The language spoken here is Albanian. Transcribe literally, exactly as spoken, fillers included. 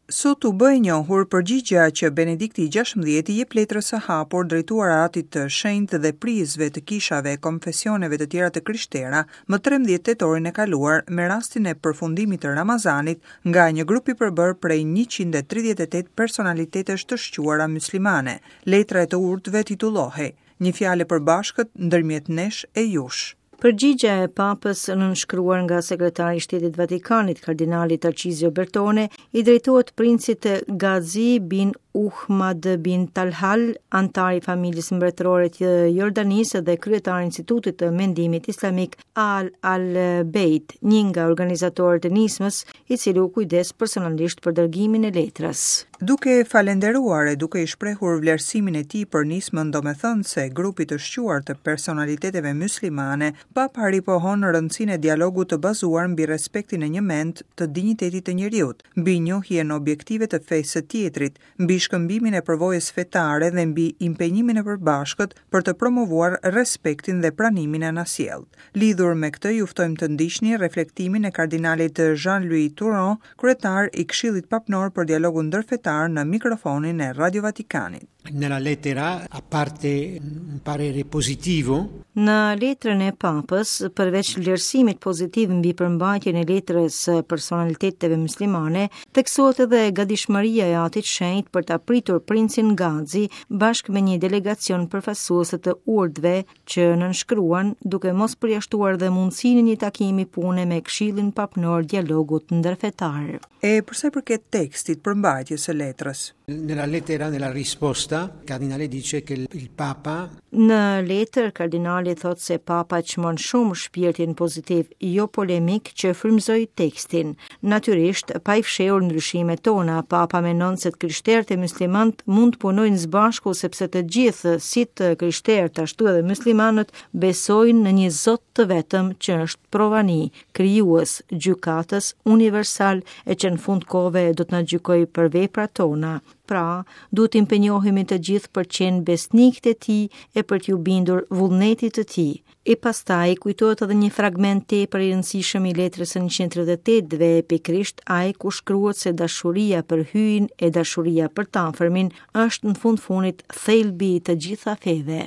Sot u bë e njohur përgjigja që Benedikti i gjashtëmbëdhjetë i jep letrës së hapur drejtuar Atit të Shenjtë dhe prijësve të kishave e konfesioneve të tjera të krishtera më trembëdhjetë tetorin e kaluar me rastin e përfundimit të Ramazanit nga një grup i përbërë prej njëqind e tridhjetë e tetë personalitetesh të shquara muslimane. Letra e të urtëve titullohej Një fjalë e përbashkët ndërmjet nesh e jush. Përgjigja e Papës nënshkruar nga sekretari i Shtetit Vatikanit, kardinali Tarcizio Bertone, i drejtohet princit Ghazi bin Uhmad bin Talhal, antar i familjes mbretërore të Jordanisë dhe kryetar i Institutit të Mendimit Islamik Al Al-Bejt, një nga organizatorët e nismës, i cili u kujdes personalisht për dërgimin e letrës. Duke falenderuar e duke i shprehur vlerësimin e tij për nismën domethënëse grupit të shquar të personaliteteve muslimane, Papa ripohon rëndësinë e dialogut të bazuar mbi respektin e njëmend të dinjitetit të njeriut, mbi njohjen objektive të fesë së tjetrit, mbi shkëmbimin e përvojës fetare dhe mbi impenjimin e përbashkët për të promovuar respektin dhe pranimin e anasjelltë. Lidhur me këtë, ju ftojmë të ndiqni reflektimin e kardinalit Jean-Louis Tauran, kryetar i Këshillit Papnor për Dialogun Ndërfetar, në mikrofonin e Radio Vatikanit. Nella lettera, a parte un parere positivo, Në letrën e Papës, përveç vlerësimit pozitiv mbi përmbajtjen e letrës së personaliteteve muslimane, theksohet edhe gatishmëria e Atit Shenjt për ta pritur princin Ghazi bashkë me një delegacion përfaqësues të urtëve që nënshkruan, duke mos përjashtuar dhe mundësinë e një takimi pune me Këshillin Papnor Dialogut Ndërfetar. E përsa i përket tekstit përmbajtjes së letrës. Nella lettera, nella risposta, il cardinale dice che il Papa Në letër, kardinali thotë se Papa çmon shumë shpirtin pozitiv, jo polemik që frymëzoi tekstin. Natyrisht, pa i fshehur ndryshimet tona, Papa mendon se të krishterët e muslimanët mund të punojnë së bashku sepse të gjithë, si të krishterët ashtu edhe muslimanët, besojnë në një Zot të vetëm që është provani, krijues, gjykatës, universal e që në fund kohëve do të na gjykojë për veprat tona. Pra, duhet të impenjohemi të gjithë për qenë besnikët e tij e për t'ju bindur vullnetit të tij. E pastaj kujtohet edhe një fragment tepër i rëndësishëm i letrës së njëqind e tridhjetë e tetëve, pikërisht ai ku shkruhet se dashuria për Hyjin e dashuria për të afërmin është në fund fundit thelbi i të gjitha feve.